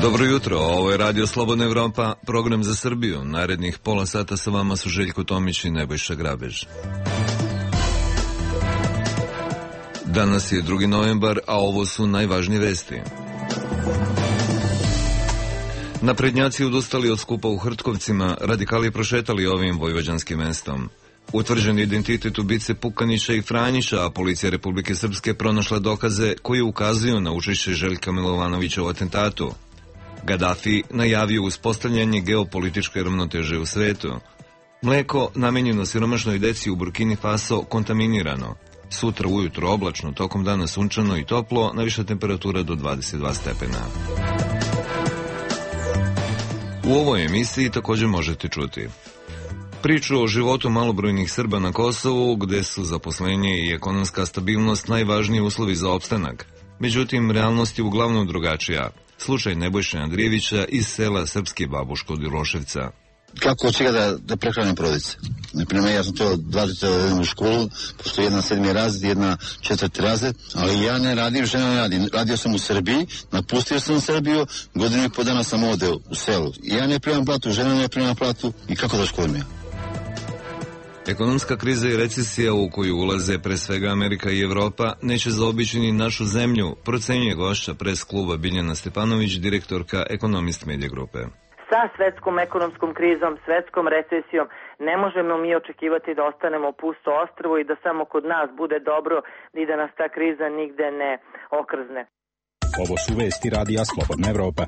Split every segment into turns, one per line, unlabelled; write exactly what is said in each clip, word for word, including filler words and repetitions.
Dobro jutro, ovo je Radio Slobodna Evropa, program za Srbiju. Narednih pola sata sa vama su Željko Tomić i Nebojša Grabež. Danas je drugi novembar, a ovo su najvažnije vesti. Naprednjaci odustali od skupa u Hrtkovcima, radikali prošetali ovim vojvođanskim mestom. Utvrđen identitet ubice Pukanića i Franjića, a policija Republike Srpske pronašla dokaze koji ukazuju na učešće Željka Milovanovića u atentatu. Gaddafi najavio uspostavljanje geopolitičke ravnoteže u svetu. Mleko namenjeno siromašnoj deci u Burkini Faso kontaminirano. Sutra ujutro oblačno, tokom dana sunčano i toplo, najviša temperatura do dvadeset dva stepena. U ovoj emisiji također možete čuti priču o životu malobrojnih Srba na Kosovu, gde su zaposlenje i ekonomska stabilnost najvažniji uslovi za opstanak. Međutim, realnost je uglavnom drugačija. Slučaj Nebojše Andrijevića iz sela Srpski Babuško od Iloševca.
Kako od čega da, da prehranim porodice? Naprimjer, ja sam to dva djeca u školu, pošto jedna sedmi razred, jedna četvrti razred, ali ja ne radim, žena ne radim. Radio sam u Srbiji, napustio sam Srbiju, godinu i po dana sam ovdje u selu. Ja ne primam platu, žena ne primam platu i kako da školim ja?
Ekonomska kriza i recesija u koju ulaze pre svega Amerika i Evropa neće zaobići ni našu zemlju, procenjuje gošća pres kluba Biljana Stepanović, direktorka Ekonomist Medija grupe.
Sa svetskom ekonomskom krizom, svetskom recesijom ne možemo mi očekivati da ostanemo pusto ostrvo i da samo kod nas bude dobro i da nas ta kriza nigde ne okrzne.
Ovo su vesti Radija Slobodna Evropa.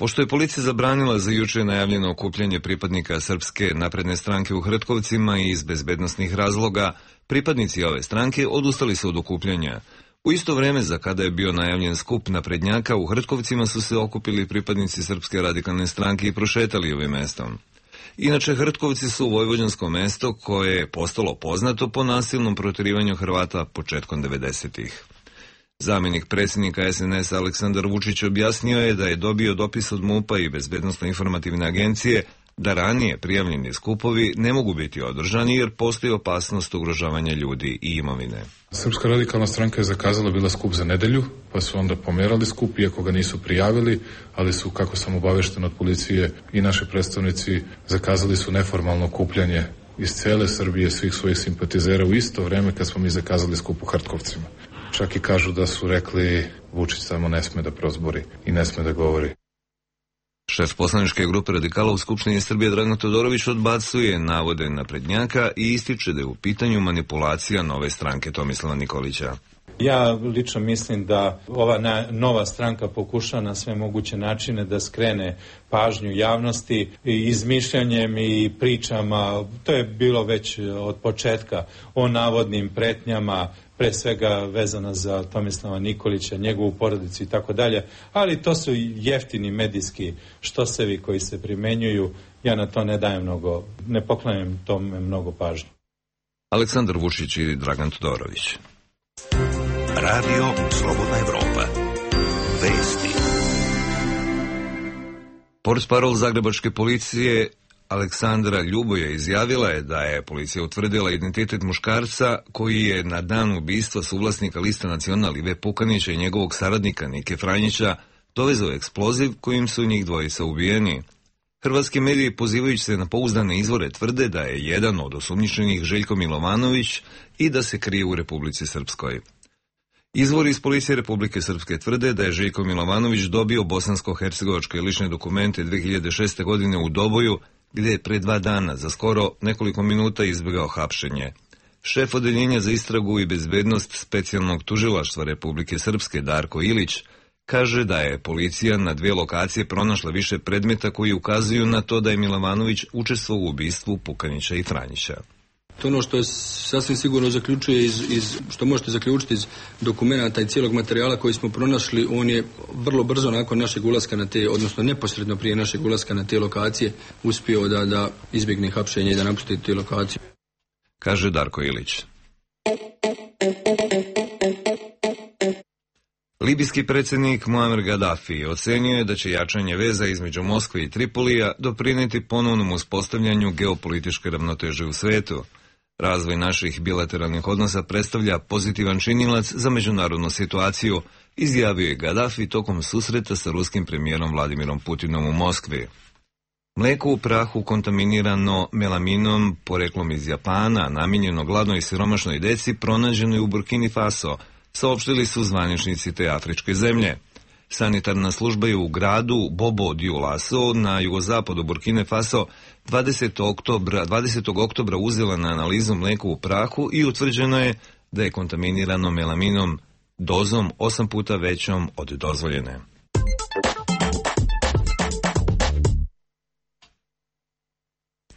Pošto je policija zabranila za juče najavljeno okupljanje pripadnika Srpske napredne stranke u Hrtkovcima i iz bezbednosnih razloga, pripadnici ove stranke odustali su od okupljanja. U isto vreme za kada je bio najavljen skup naprednjaka, u Hrtkovcima su se okupili pripadnici Srpske radikalne stranke i prošetali ovim mestom. Inače, Hrtkovci su vojvođansko mesto koje je postalo poznato po nasilnom protjerivanju Hrvata početkom devedesetih. Zamjenik predsjednika es en es Aleksandar Vučić objasnio je da je dobio dopis od MUP-a i Bezbednosno-informativne agencije da ranije prijavljeni skupovi ne mogu biti održani jer postoji opasnost ugrožavanja ljudi i imovine.
Srpska radikalna stranka je zakazala bila skup za nedelju, pa su onda pomerali skup, iako ga nisu prijavili, ali su, kako sam obavešten od policije, i naši predstavnici zakazali su neformalno okupljanje iz cele Srbije, svih svojih simpatizera u isto vreme kad smo mi zakazali skup u Hrtkovcima. Čak i kažu da su rekli Vučić samo ne sme da prozbori i ne sme da govori.
Šef poslaničke grupe radikala u Skupštini Srbije Dragan Todorović odbacuje navode naprednjaka i ističe da je u pitanju manipulacija nove stranke Tomislava Nikolića.
Ja lično mislim da ova na, nova stranka pokuša na sve moguće načine da skrene pažnju javnosti i izmišljanjem i pričama. To je bilo već od početka o navodnim pretnjama, pre svega vezana za Tomislava Nikolića, njegovu porodicu i tako dalje, ali to su jeftini medijski štosevi koji se primenjuju. Ja na to ne dajem mnogo, ne poklanjam tome mnogo pažnje.
Aleksandar Vučić i Dragan Todorović.
Radio Slobodna Evropa. Vesti.
Portparol zagrebačke policije Aleksandra Ljuboja izjavila je da je policija utvrdila identitet muškarca koji je na dan ubistva suvlasnika Lista Nacional Ive Pukanića i njegovog saradnika Nike Franjića dovezao eksploziv kojim su njih dvojica ubijeni. Hrvatski mediji, pozivajući se na pouzdane izvore, tvrde da je jedan od osumnjičenih Željko Milovanović i da se krije u Republici Srpskoj. Izvori iz policije Republike Srpske tvrde da je Željko Milovanović dobio bosansko-hercegovačke lične dokumente dve hiljade šeste. godine u Doboju, gdje je pre dva dana za skoro nekoliko minuta izbjegao hapšenje. Šef odeljenja za istragu i bezbednost specijalnog tužilaštva Republike Srpske Darko Ilić kaže da je policija na dvije lokacije pronašla više predmeta koji ukazuju na to da je Milovanović učestvovao u ubistvu Pukanića i Franjića.
To ono što je sasvim sigurno zaključuje iz, iz, što možete zaključiti iz dokumenata i cijelog materijala koji smo pronašli, on je vrlo brzo nakon našeg ulaska na te, odnosno neposredno prije našeg ulaska na te lokacije, uspio da, da izbjegne hapšenje i da napusti te lokacije.
Kaže Darko Ilić. Libijski predsjednik Muammar Gaddafi ocenio je da će jačanje veza između Moskve i Tripolija doprinijeti ponovnom uspostavljanju geopolitičke ravnoteže u svetu. Razvoj naših bilateralnih odnosa predstavlja pozitivan činilac za međunarodnu situaciju, izjavio je Gaddafi tokom susreta sa ruskim premijerom Vladimirom Putinom u Moskvi. Mlijeko u prahu kontaminirano melaminom poreklom iz Japana, namijenjeno gladnoj i siromašnoj deci, pronađeno je u Burkini Faso, saopštili su zvaničnici te afričke zemlje. Sanitarna služba je u gradu Bobo Dioulasso na jugozapadu Burkine Faso dvadesetog oktobra uzela na analizu mlijeko u prahu i utvrđeno je da je kontaminirano melaminom dozom osam puta većom od dozvoljene.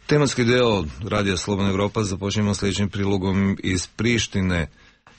Tematski deo Radija Slobodna Evropa započnemo sljedećim prilogom iz Prištine.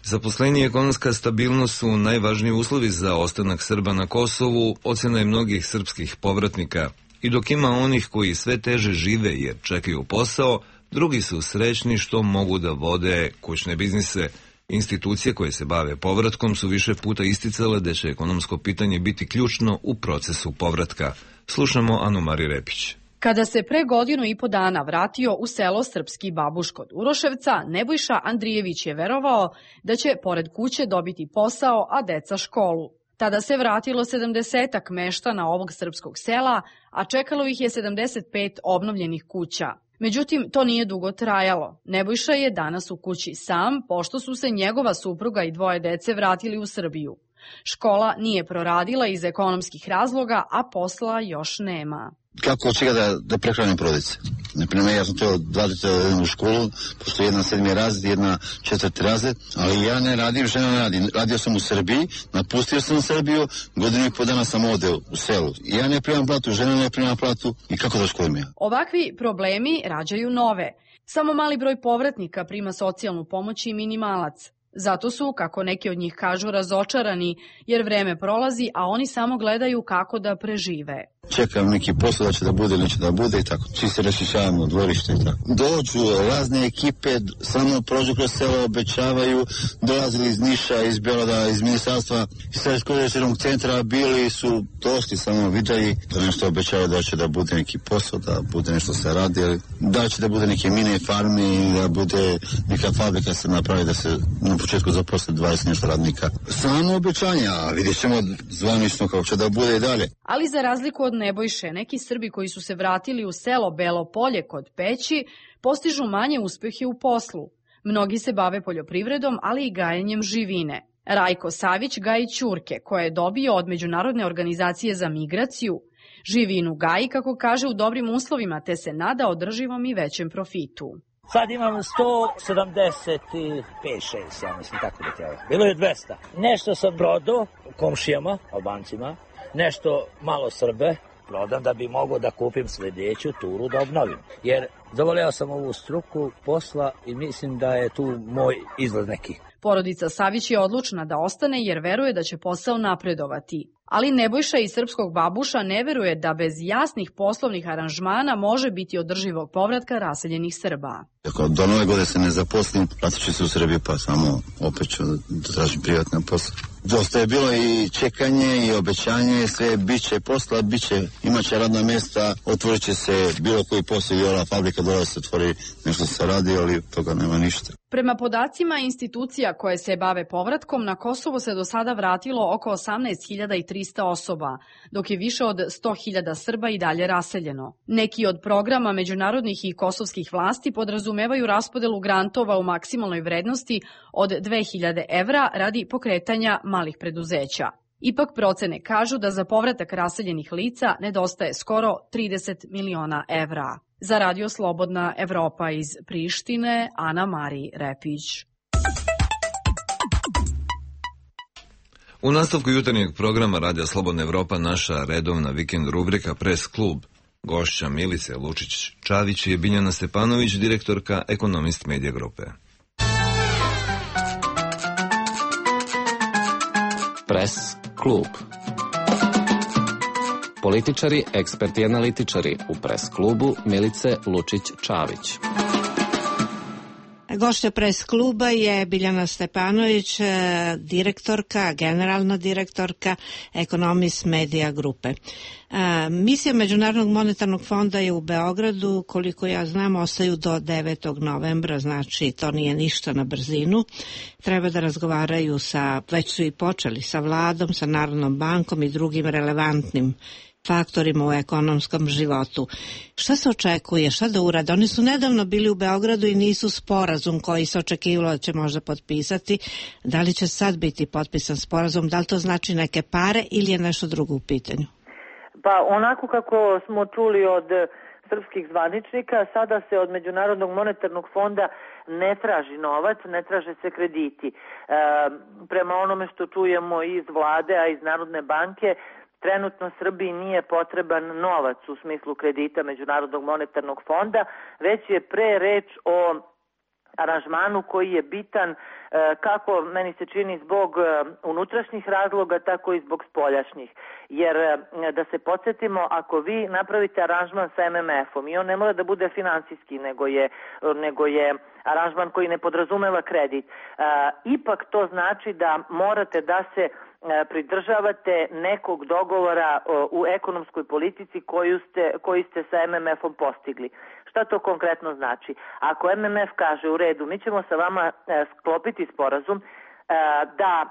Zaposlenje i ekonomska stabilnost su najvažniji uslovi za ostanak Srba na Kosovu, ocjena je mnogih srpskih povratnika. I dok ima onih koji sve teže žive jer čekaju posao, drugi su srećni što mogu da vode kućne biznise. Institucije koje se bave povratkom su više puta isticale da će ekonomsko pitanje biti ključno u procesu povratka. Slušamo Anu Mari Repić.
Kada se pre godinu i po dana vratio u selo Srpski Babuš kod Uroševca, Nebojša Andrijević je verovao da će pored kuće dobiti posao, a deca školu. Tada se vratilo sedamdesetak meštana ovog srpskog sela, a čekalo ih je sedamdeset pet obnovljenih kuća. Međutim, to nije dugo trajalo. Nebojša je danas u kući sam, pošto su se njegova supruga i dvoje dece vratili u Srbiju. Škola nije proradila iz ekonomskih razloga, a posla još nema.
Kako od čega da, da prehranim porodice? Naprimjer, ja sam to dva djece u školu, pošto jedna sedmi razred, jedna četvrti razred, ali ja ne radim, žena ne radim. Radio sam u Srbiji, napustio sam Srbiju, godinu i po dana sam ovdje u selu. Ja ne primam platu, žena ne primam platu i kako da školim ja?
Ovakvi problemi rađaju nove. Samo mali broj povratnika prima socijalnu pomoć i minimalac. Zato su, kako neki od njih kažu, razočarani, jer vreme prolazi, a oni samo gledaju kako da prežive.
Čekam neki posao da će da bude, neće da bude i tako. Svi se rašišavamo, dvorište i tako. Dođu razne ekipe, samo prođu kroz selo, obećavaju, dolazili iz Niša, iz Beograda, iz ministarstva, iz Srednjeg centra, bili su došli samo vidjeli, da nešto obećavaju da će da bude neki posao, da bude nešto se radi, da će da bude neke mine farme, da bude neka fabrika se napravi, da se na početku zaposle dvadeset nešto radnika. Samo obećanja, a vidjet ćemo zvanično kako će da bude i dalje.
Ali za razliku od Nebojše, neki Srbi koji su se vratili u selo Belo Polje kod Peći postižu manje uspehe u poslu. Mnogi se bave poljoprivredom, ali i gajenjem živine. Rajko Savić gaji ćurke, koje je dobio od Međunarodne organizacije za migraciju. Živinu gaji, kako kaže, u dobrim uslovima, te se nada održivom i većem profitu.
Sad imam sto sedamdeset pet šest, ja mislim, tako da treba. Bilo je dvesta. Nešto sam prodao komšijama, Albancima, nešto malo Srbe, prodam da bi mogao da kupim sljedeću turu da obnovim. Jer zavoleo sam ovu struku posla i mislim da je tu moj izlaz neki.
Porodica Savić je odlučna da ostane jer veruje da će posao napredovati. Ali Nebojša iz Srpskog Babuša ne veruje da bez jasnih poslovnih aranžmana može biti održivog povratka raseljenih Srba.
Ako do nove godine se ne zaposlim, vratit ću se u Srbiju pa samo opet ću da tražim privatne posle. Dosta je bilo i čekanje i obećanje, sve biće posla, biće, imaće radna mjesta, otvorit će se bilo koji posao i ova fabrika dole se otvori, nešto se radi, ali toga nema ništa.
Prema podacima institucija koje se bave povratkom, na Kosovo se do sada vratilo oko osamnaest hiljada trista osoba, dok je više od sto hiljada Srba i dalje raseljeno. Neki od programa međunarodnih i kosovskih vlasti podrazumevaju raspodelu grantova u maksimalnoj vrednosti od dve hiljade evra radi pokretanja malih preduzeća. Ipak procene kažu da za povratak raseljenih lica nedostaje skoro trideset miliona evra. Za Radio Slobodna Evropa iz Prištine, Ana Mari Repić.
U nastavku jutarnjeg programa Radija Slobodna Evropa naša redovna vikend rubrika Press klub. Gošća Milice Lučić-Čavić je Biljana Stepanović, direktorka Ekonomist Medija grupe.
Press klub. Političari, eksperti i analitičari u Press klubu Milice Lučić-Čavić.
Gošća Pres kluba je Biljana Stepanović, direktorka, generalna direktorka Economist Media grupe. Misija Međunarodnog monetarnog fonda je u Beogradu, koliko ja znam, ostaju do devetog novembra, znači to nije ništa na brzinu. Treba da razgovaraju sa, već su i počeli, sa vladom, sa Narodnom bankom i drugim relevantnim faktorima u ekonomskom životu. Šta se očekuje, šta da urade? Oni su nedavno bili u Beogradu i nisu sporazum koji se očekivalo da će možda potpisati. Da li će sad biti potpisan sporazum? Da li to znači neke pare ili je nešto drugo u pitanju?
Pa onako kako smo čuli od srpskih zvaničnika, sada se od Međunarodnog monetarnog fonda ne traži novac, ne traže se krediti. E, prema onome što čujemo iz vlade, a iz Narodne banke, trenutno Srbiji nije potreban novac u smislu kredita Međunarodnog monetarnog fonda, već je pre reč o aranžmanu koji je bitan kako meni se čini zbog unutrašnjih razloga, tako i zbog spoljašnjih. Jer da se podsjetimo, ako vi napravite aranžman sa em em efom i on ne mora da bude finansijski, nego je, nego je aranžman koji ne podrazumeva kredit, ipak to znači da morate da se pridržavate nekog dogovora u ekonomskoj politici koju ste, koji ste sa em em efom postigli. Šta to konkretno znači? Ako em em ef kaže u redu, mi ćemo sa vama sklopiti sporazum da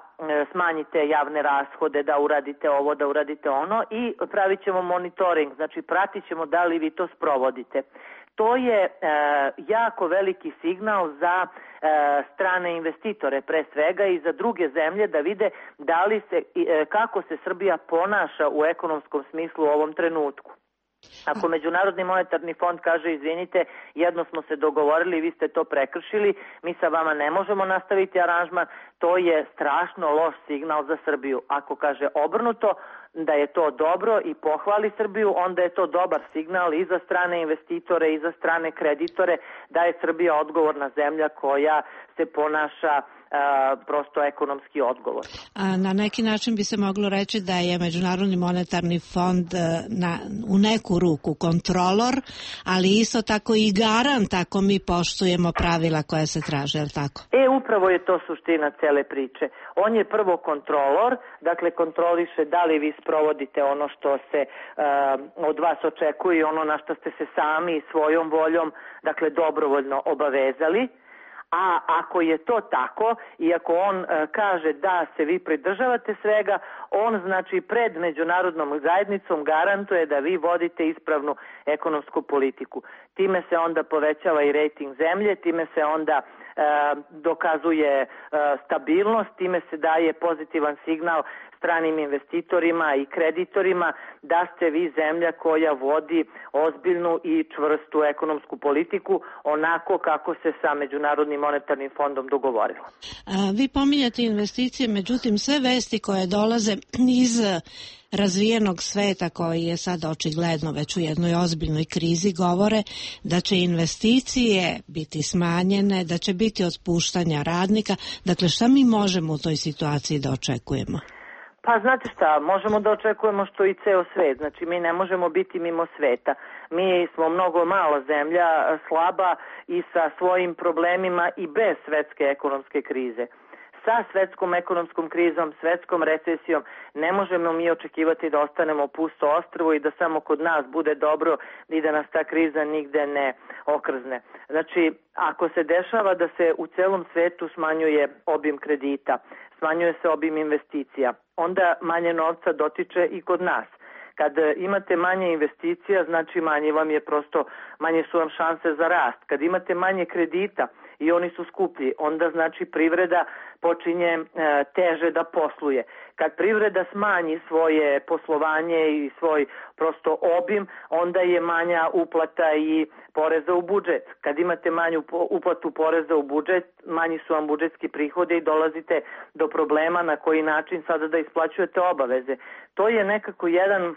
smanjite javne rashode, da uradite ovo, da uradite ono i pravit ćemo monitoring, znači pratit ćemo da li vi to sprovodite. To je e, jako veliki signal za e, strane investitore pre svega i za druge zemlje da vide da li se, e, kako se Srbija ponaša u ekonomskom smislu u ovom trenutku. Ako Međunarodni monetarni fond kaže izvinite, jedno smo se dogovorili, vi ste to prekršili, mi sa vama ne možemo nastaviti aranžman, to je strašno loš signal za Srbiju. Ako kaže obrnuto, da je to dobro i pohvali Srbiju, onda je to dobar signal i za strane investitore i za strane kreditore da je Srbija odgovorna zemlja koja se ponaša a, prosto ekonomski odgovor.
A na neki način bi se moglo reći da je Međunarodni monetarni fond na, u neku ruku kontrolor, ali isto tako i garant ako mi poštujemo pravila koja se traže, je li tako?
E, upravo je to suština cele priče. On je prvo kontrolor, dakle kontroliše da li vi sprovodite ono što se uh, od vas očekuje i ono na što ste se sami svojom voljom, dakle dobrovoljno obavezali. A ako je to tako i ako on uh, kaže da se vi pridržavate svega, on znači pred međunarodnom zajednicom garantuje da vi vodite ispravnu ekonomsku politiku. Time se onda povećava i rejting zemlje, time se onda e, dokazuje e, stabilnost, time se daje pozitivan signal stranim investitorima i kreditorima da ste vi zemlja koja vodi ozbiljnu i čvrstu ekonomsku politiku onako kako se sa Međunarodnim monetarnim fondom dogovorilo.
Vi pominjate investicije, međutim sve vesti koje dolaze iz razvijenog sveta koji je sad očigledno već u jednoj ozbiljnoj krizi govore da će investicije biti smanjene, da će biti otpuštanja radnika. Dakle, šta mi možemo u toj situaciji da očekujemo?
Pa znate šta, možemo da očekujemo što i ceo svet, znači mi ne možemo biti mimo sveta. Mi smo mnogo mala zemlja, slaba i sa svojim problemima i bez svetske ekonomske krize. Sa svetskom ekonomskom krizom, svetskom recesijom ne možemo mi očekivati da ostanemo pusto ostrvo i da samo kod nas bude dobro i da nas ta kriza nigde ne okrzne. Znači, ako se dešava da se u celom svetu smanjuje obim kredita, smanjuje se obim investicija, onda manje novca dotiče i kod nas. Kad imate manje investicija, znači manje vam je prosto, manje su vam šanse za rast. Kad imate manje kredita i oni su skuplji, onda znači privreda počinje e, teže da posluje. Kad privreda smanji svoje poslovanje i svoj prosto obim, onda je manja uplata i poreza u budžet. Kad imate manju uplatu poreza u budžet, manji su vam budžetski prihode i dolazite do problema na koji način sada da isplaćujete obaveze. To je nekako jedan,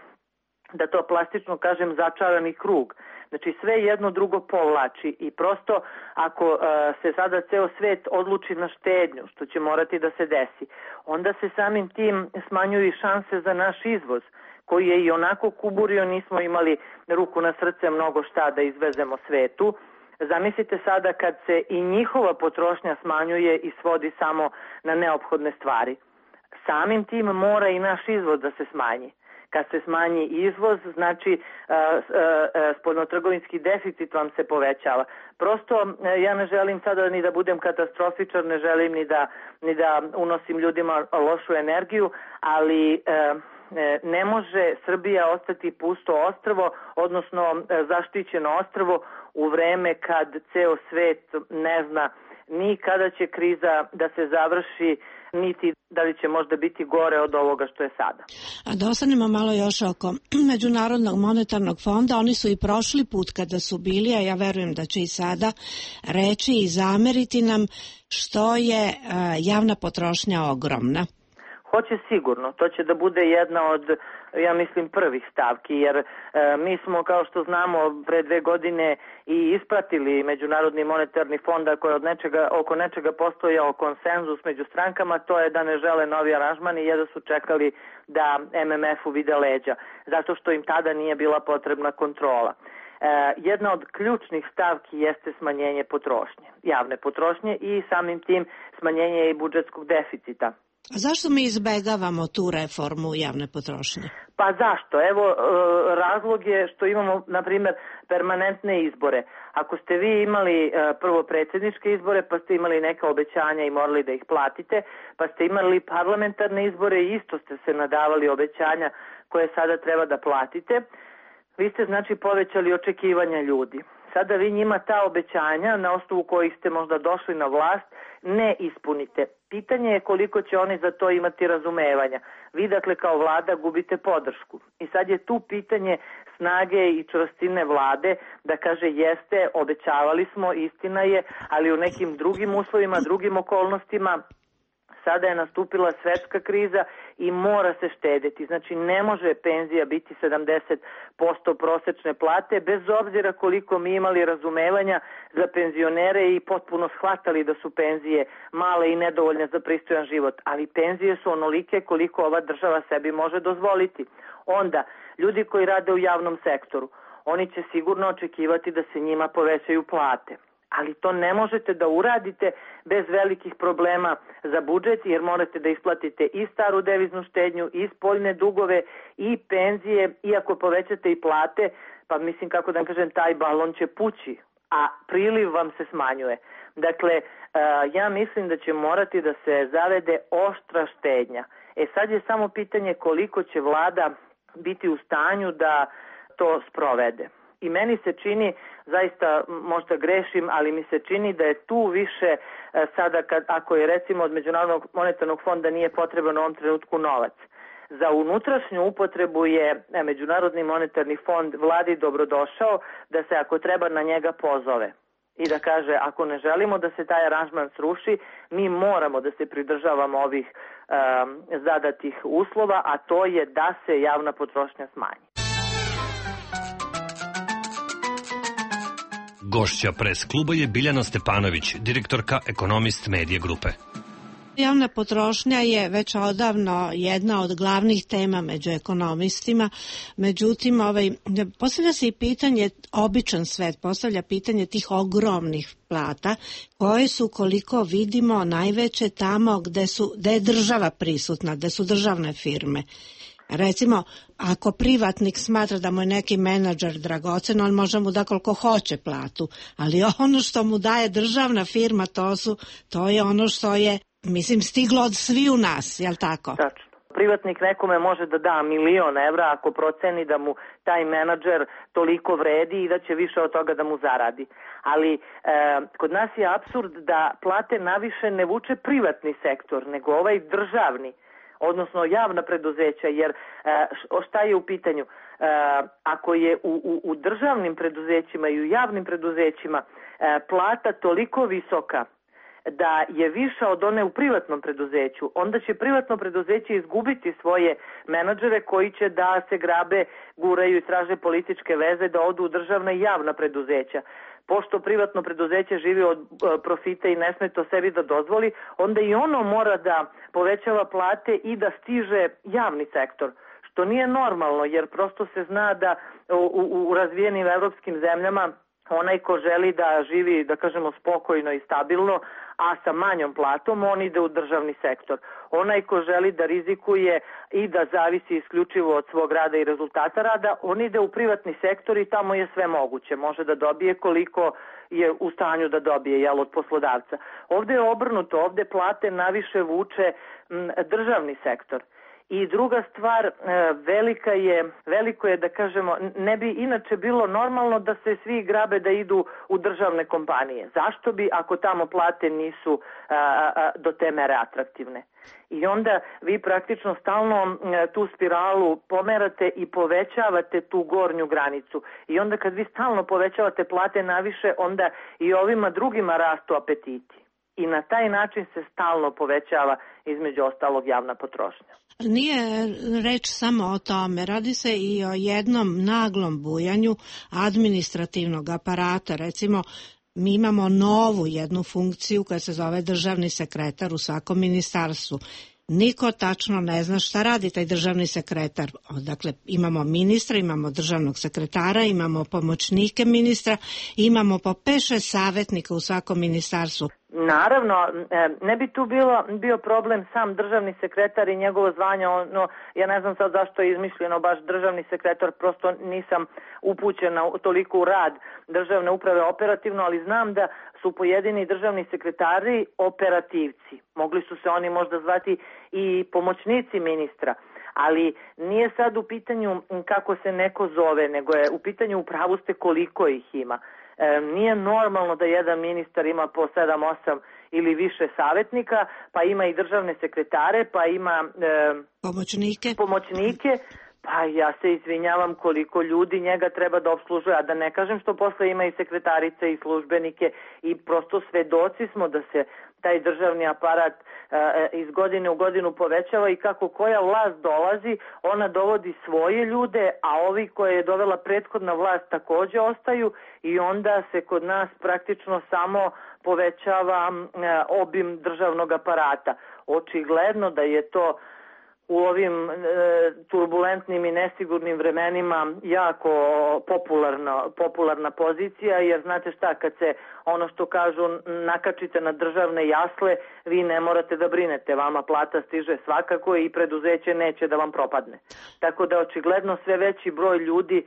da to plastično kažem, začarani krug. Znači sve jedno drugo povlači i prosto ako uh, se sada ceo svet odluči na štednju, što će morati da se desi, onda se samim tim smanjuju šanse za naš izvoz, koji je i onako kuburio, nismo imali ruku na srce mnogo šta da izvezemo svetu. Zamislite sada kad se i njihova potrošnja smanjuje i svodi samo na neophodne stvari. Samim tim mora i naš izvoz da se smanji. Kad se smanji izvoz, znači spoljnotrgovinski deficit vam se povećava. Prosto ja ne želim sada ni da budem katastrofičar, ne želim ni da, ni da unosim ljudima lošu energiju, ali ne može Srbija ostati pusto ostrvo, odnosno zaštićeno ostrvo u vreme kad ceo svet ne zna ni kada će kriza da se završi, niti da li će možda biti gore od ovoga što je sada.
A da ostanemo malo još oko Međunarodnog monetarnog fonda, oni su i prošli put kada su bili, a ja verujem da će i sada reći i zameriti nam što je javna potrošnja ogromna.
Hoće sigurno, to će da bude jedna od, ja mislim, prvih stavki, jer e, mi smo, kao što znamo, pre dve godine i ispratili Međunarodni monetarni fond koji od nečega, oko nečega postojao konsenzus među strankama, to je da ne žele novi aranžman i jedva su čekali da em em ef-u vide leđa, zato što im tada nije bila potrebna kontrola. E, jedna od ključnih stavki jeste smanjenje potrošnje, javne potrošnje i samim tim smanjenje i budžetskog deficita.
A zašto mi izbegavamo tu reformu javne potrošnje?
Pa zašto? Evo, razlog je što imamo, na primjer, permanentne izbore. Ako ste vi imali prvo predsjedničke izbore, pa ste imali neka obećanja i morali da ih platite, pa ste imali parlamentarne izbore i isto ste se nadavali obećanja koje sada treba da platite, vi ste znači povećali očekivanja ljudi. Sada vi njima ta obećanja, na osnovu kojih ste možda došli na vlast, ne ispunite. Pitanje je koliko će oni za to imati razumevanja. Vi, dakle, kao vlada gubite podršku. I sad je tu pitanje snage i čvrstine vlade da kaže jeste, obećavali smo, istina je, ali u nekim drugim uslovima, drugim okolnostima, sada je nastupila svetska kriza i mora se štediti. Znači ne može penzija biti sedamdeset posto prosečne plate, bez obzira koliko mi imali razumevanja za penzionere i potpuno shvatali da su penzije male i nedovoljne za pristojan život. Ali penzije su onolike koliko ova država sebi može dozvoliti. Onda, ljudi koji rade u javnom sektoru, oni će sigurno očekivati da se njima povećaju plate. Ali to ne možete da uradite bez velikih problema za budžet, jer morate da isplatite i staru deviznu štednju, i spoljne dugove, i penzije, i ako povećate i plate, pa mislim, kako da kažem, taj balon će pući, a priliv vam se smanjuje. Dakle, ja mislim da će morati da se zavede oštra štednja. E sad je samo pitanje koliko će vlada biti u stanju da to sprovede. I meni se čini, zaista možda grešim, ali mi se čini da je tu više sada, kad, ako je recimo od Međunarodnog monetarnog fonda nije potreban u ovom trenutku novac. Za unutrašnju upotrebu je Međunarodni monetarni fond vladi dobrodošao da se ako treba na njega pozove i da kaže ako ne želimo da se taj aranžman sruši, mi moramo da se pridržavamo ovih um, zadatih uslova, a to je da se javna potrošnja smanji.
Gošća pres kluba je Biljana Stepanović, direktorka Ekonomist Medije grupe.
Javna potrošnja je već odavno jedna od glavnih tema među ekonomistima, međutim ovaj, postavlja se i pitanje, običan svet postavlja pitanje tih ogromnih plata koje su, koliko vidimo, najveće tamo gde, su, gde je država prisutna, gde su državne firme. Recimo, ako privatnik smatra da mu je neki menadžer dragocen, on može mu da koliko hoće platu, ali ono što mu daje državna firma, to, su, to je ono što je, mislim, stiglo od svi u nas, jel tako?
Tačno. Privatnik nekome može da da milion evra ako proceni da mu taj menadžer toliko vredi i da će više od toga da mu zaradi. Ali e, kod nas je apsurd da plate naviše ne vuče privatni sektor, nego ovaj državni, odnosno javna preduzeća, jer e, šta je u pitanju? E, ako je u, u, u državnim preduzećima i u javnim preduzećima e, plata toliko visoka da je viša od one u privatnom preduzeću, onda će privatno preduzeće izgubiti svoje menadžere koji će da se grabe, guraju i traže političke veze da odu u državna i javna preduzeća. Pošto privatno preduzeće živi od profita i ne sme to sebi da dozvoli, onda i ono mora da povećava plate i da stiže javni sektor, što nije normalno, jer prosto se zna da u, u, u razvijenim evropskim zemljama Onaj ko želi da živi, da kažemo, spokojno i stabilno, a sa manjom platom, on ide u državni sektor. Onaj ko želi da rizikuje i da zavisi isključivo od svog rada i rezultata rada, on ide u privatni sektor i tamo je sve moguće. Može da dobije koliko je u stanju da dobije, jel, od poslodavca. Ovde je obrnuto, ovde plate naviše vuče m, državni sektor. I druga stvar, velika je, veliko je da kažemo, ne bi inače bilo normalno da se svi grabe da idu u državne kompanije. Zašto bi ako tamo plate nisu a, a, do te mere atraktivne? I onda vi praktično stalno tu spiralu pomerate i povećavate tu gornju granicu. I onda kad vi stalno povećavate plate naviše, onda i ovima drugima rastu apetiti. I na taj način se stalno povećava između ostalog javna potrošnja.
Nije reč samo o tome, radi se i o jednom naglom bujanju administrativnog aparata. Recimo, mi imamo novu jednu funkciju koja se zove državni sekretar u svakom ministarstvu. Niko tačno ne zna šta radi taj državni sekretar. Dakle, imamo ministra, imamo državnog sekretara, imamo pomoćnike ministra, imamo po pet šest savjetnika u svakom ministarstvu.
Naravno, ne bi tu bilo, bio problem sam državni sekretar i njegovo zvanje, ono, ja ne znam sad zašto je izmišljeno baš državni sekretar, prosto nisam upućena toliko u rad državne uprave operativno, ali znam da su pojedini državni sekretari operativci. Mogli su se oni možda zvati i pomoćnici ministra, ali nije sad u pitanju kako se neko zove, nego je u pitanju upravo ste koliko ih ima. E, nije normalno da jedan ministar ima po sedam osam ili više savjetnika, pa ima i državne sekretare, pa ima e,
pomoćnike.
pomoćnike, pa ja se izvinjavam koliko ljudi njega treba da obslužuje, a da ne kažem što posle ima i sekretarice i službenike i prosto svedoci smo da se taj državni aparat e, iz godine u godinu povećava i kako koja vlast dolazi, ona dovodi svoje ljude, a ovi koje je dovela prethodna vlast takođe ostaju i onda se kod nas praktično samo povećava e, obim državnog aparata. Očigledno da je to u ovim e, turbulentnim i nesigurnim vremenima jako popularna, popularna pozicija, jer znate šta, kad se ono što kažu nakačite na državne jasle, vi ne morate da brinete, vama plata stiže svakako i preduzeće neće da vam propadne. Tako da očigledno sve veći broj ljudi e,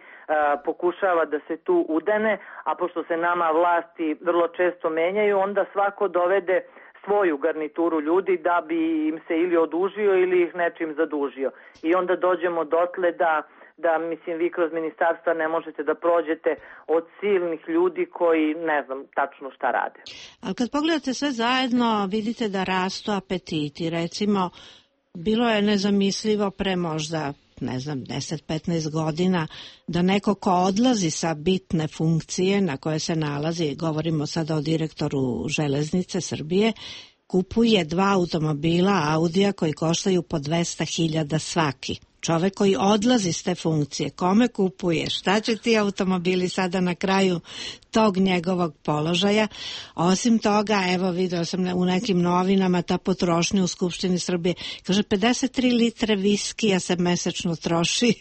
pokušava da se tu udene, a pošto se nama vlasti vrlo često menjaju, onda svako dovede svoju garnituru ljudi da bi im se ili odužio ili ih nečim zadužio. I onda dođemo dotle da, da mislim, vi kroz ministarstva ne možete da prođete od silnih ljudi koji ne znam tačno šta rade.
Ali kad pogledate sve zajedno, vidite da rastu apetiti. Recimo, bilo je nezamislivo pre možda ne znam, deset petnaest godina, da neko ko odlazi sa bitne funkcije na koje se nalazi, govorimo sada o direktoru Železnice Srbije, kupuje dva automobila Audija koji koštaju po dvesta hiljada svaki. Čovek koji odlazi s te funkcije, kome kupuje, šta će ti automobili sada na kraju tog njegovog položaja. Osim toga, evo video sam u nekim novinama ta potrošnja u Skupštini Srbije, kaže pedeset tri litre viskija se mesečno troši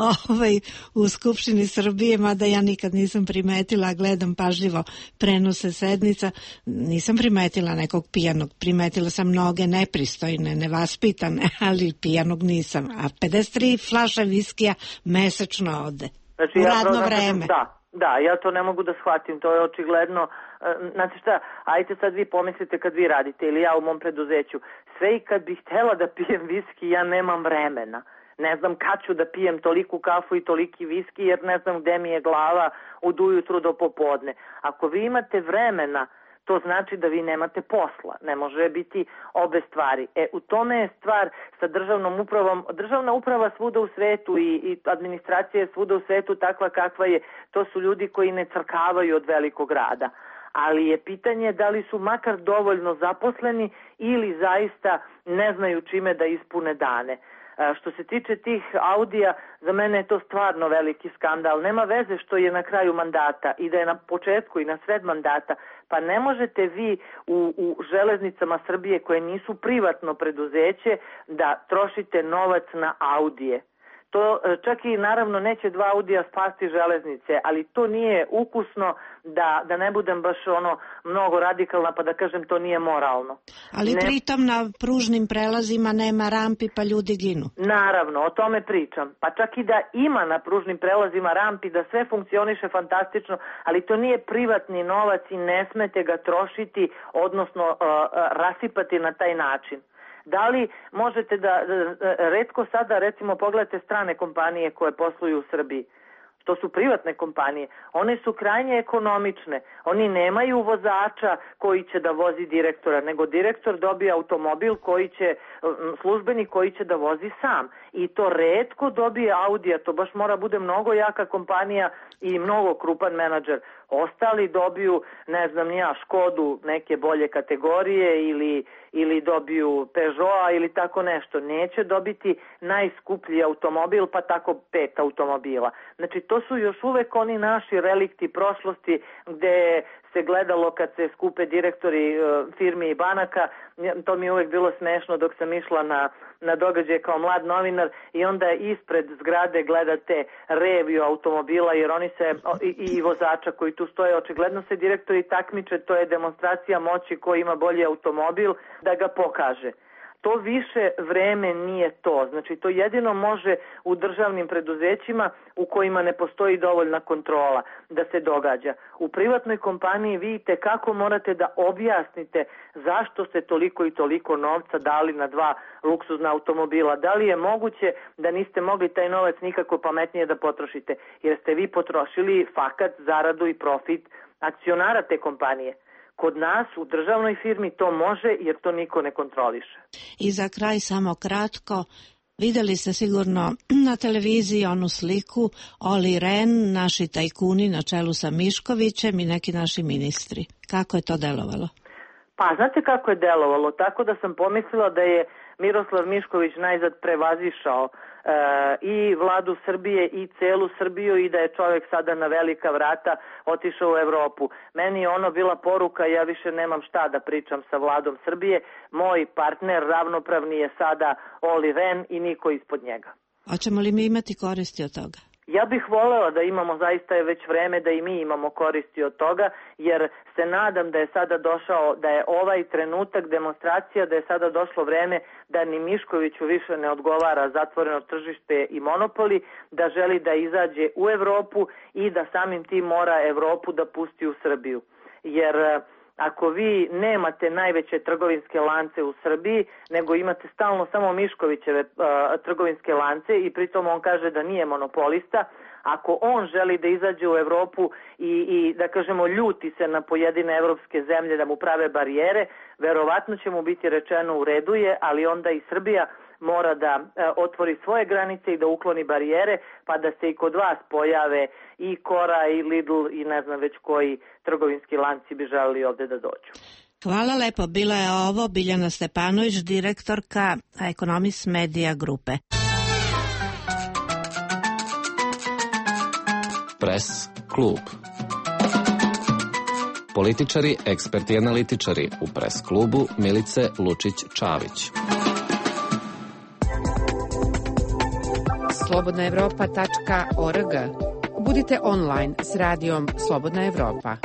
ovaj, u Skupštini Srbije, mada ja nikad nisam primetila, gledam pažljivo prenose sednica, nisam primetila nekog pijanog, primetila sam mnoge nepristojne, nevaspitane, ali pijanog nisam, a pedeset tri flaše viskija mesečno ode.
Znači,
u
ja
radno
program,
vreme.
Da, da, ja to ne mogu da shvatim, to je očigledno. Znači šta, ajte sad vi pomislite kad vi radite ili ja u mom preduzeću, sve i kad bih htela da pijem viski, ja nemam vremena. Ne znam kad ću da pijem toliku kafu i toliki viski, jer ne znam gde mi je glava od ujutru do popodne. Ako vi imate vremena, to znači da vi nemate posla. Ne može biti obe stvari. E, u tome je stvar sa državnom upravom. Državna uprava svuda u svetu i, i administracija je svuda u svetu takva kakva je. To su ljudi koji ne crkavaju od velikog rada. Ali je pitanje da li su makar dovoljno zaposleni ili zaista ne znaju čime da ispune dane. Što se tiče tih Audija, za mene je to stvarno veliki skandal. Nema veze što je na kraju mandata i da je na početku i na sred mandata. Pa ne možete vi u, u železnicama Srbije koje nisu privatno preduzeće da trošite novac na Audije. To čak i naravno neće dva Audija spasti železnice, ali to nije ukusno, da, da ne budem baš ono mnogo radikalna pa da kažem to nije moralno.
Ali
ne...
pritom na pružnim prelazima nema rampi pa ljudi ginu.
Naravno, o tome pričam. Pa čak i da ima na pružnim prelazima rampi, da sve funkcioniše fantastično, ali to nije privatni novac i ne smete ga trošiti, odnosno uh, rasipati na taj način. Da li možete da, da, retko sada recimo pogledate strane kompanije koje posluju u Srbiji, to su privatne kompanije, one su krajnje ekonomične, oni nemaju vozača koji će da vozi direktora, nego direktor dobije automobil koji će, službenik koji će da vozi sam i to retko dobije Audija, to baš mora bude mnogo jaka kompanija i mnogo krupan menadžer. Ostali dobiju, ne znam ni ja, Škodu neke bolje kategorije ili, ili dobiju Peugeota ili tako nešto. Neće dobiti najskuplji automobil pa tako pet automobila. Znači to su još uvek oni naši relikti prošlosti gde se gledalo kad se skupe direktori firmi i banaka. To mi je uvek bilo smešno dok sam išla na, na događaje kao mlad novinar i onda ispred zgrade gledate reviju automobila jer oni se i, i vozača koji tu stoje, očigledno se direktori takmiče, to je demonstracija moći ko ima bolji automobil da ga pokaže. To više vreme nije to. Znači to jedino može u državnim preduzećima u kojima ne postoji dovoljna kontrola da se događa. U privatnoj kompaniji vidite kako morate da objasnite zašto ste toliko i toliko novca dali na dva luksuzna automobila. Da li je moguće da niste mogli taj novac nikako pametnije da potrošite jer ste vi potrošili fakat, zaradu i profit akcionara te kompanije. Kod nas u državnoj firmi to može jer to niko ne kontroliše.
I za kraj samo kratko, videli ste sigurno na televiziji onu sliku Oli Ren, naši tajkuni na čelu sa Miškovićem i neki naši ministri. Kako je to delovalo?
Pa znate kako je delovalo? Tako da sam pomislila da je Miroslav Mišković najzad prevazišao e, i vladu Srbije i celu Srbiju i da je čovjek sada na velika vrata otišao u Evropu. Meni je ono bila poruka, ja više nemam šta da pričam sa vladom Srbije. Moj partner ravnopravni je sada Oli Ren i niko ispod njega.
Hoćemo li mi imati koristi od toga?
Ja bih volela da imamo, zaista je već vreme da i mi imamo koristi od toga, jer se nadam da je sada došao, da je ovaj trenutak demonstracija, da je sada došlo vreme da ni Miškoviću više ne odgovara zatvoreno tržište i monopoli, da želi da izađe u Evropu i da samim tim mora Evropu da pusti u Srbiju. Jer ako vi nemate najveće trgovinske lance u Srbiji, nego imate stalno samo Miškovićeve uh, trgovinske lance i pritom on kaže da nije monopolista, ako on želi da izađe u Evropu i, i da kažemo ljuti se na pojedine evropske zemlje da mu prave barijere, verovatno će mu biti rečeno u redu je, ali onda i Srbija mora da e, otvori svoje granice i da ukloni barijere, pa da se i kod vas pojave i Kora i Lidl i ne znam već koji trgovinski lanci bi želeli ovde da dođu.
Hvala lepo. Bila je ovo Biljana Stepanović, direktorka Economist Media grupe.
Press klub. Političari, eksperti i analitičari u Press klubu Milice Lučić-Čavić.
slobodna evropa tačka org. Budite online s radijom Slobodna Evropa.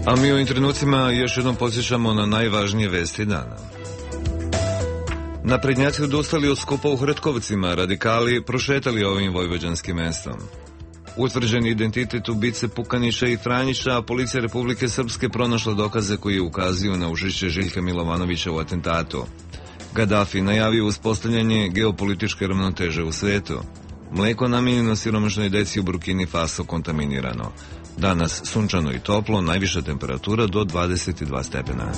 A mi u ovim trenucima još jednom podsjećamo na najvažnije vesti dana. Naprednjaci odustali od skupa u Hrtkovcima, radikali prošetali ovim vojvođanskim mestom. Utvrđen identitet ubice Pukanića i Franjića, a policija Republike Srpske pronašla dokaze koji ukazuju na učešće Željka Milovanovića u atentatu. Gaddafi najavio uspostavljanje geopolitičke ravnoteže u svetu. Mleko namijenjeno siromašnoj deci u Burkini Faso kontaminirano. Danas sunčano i toplo, najviša temperatura do dvadeset dva stepena.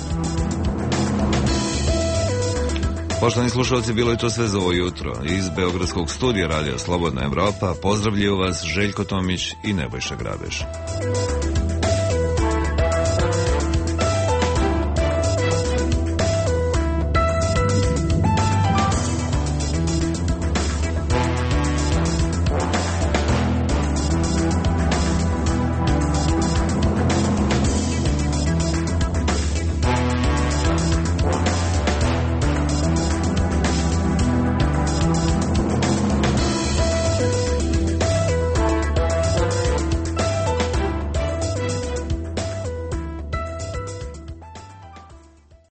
Poštovani slušalci, bilo je to sve za ovo jutro. Iz Beogradskog studija radija Slobodna Evropa pozdravljaju vas Željko Tomić i Nebojša Grabeš.